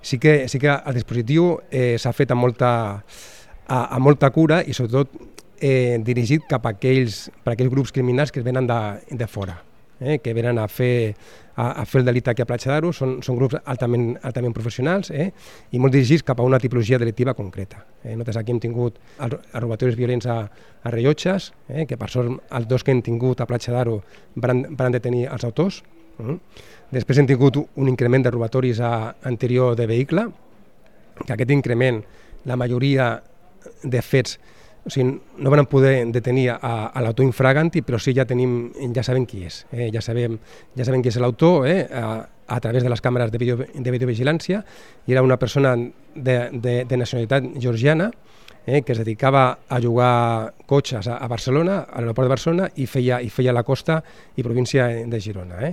Sí que el dispositiu s'ha fet amb molta cura i sobretot dirigit cap a aquells grups criminals que venen de fora, que venen a fer el delicte aquí a Platja d'Aro. Són grups altament professionals i molt dirigits cap a una tipologia delictiva concreta. Nosaltres aquí hem tingut els robatoris violents a Rellotges, que per sort els 2 que hem tingut a Platja d'Aro van detenir els autors. Després hem tingut un increment de robatoris a interior de vehicle, que aquest increment, la majoria de fets, no van poder detenir a l'autor infraganti, però sí ja sabem qui és. Ja sabem qui és l'autor a través de les càmeres de videovigilància, i era una persona de nacionalitat georgiana que es dedicava a jugar cotxes a Barcelona, a l'aeroport de Barcelona, i feia la costa i província de Girona.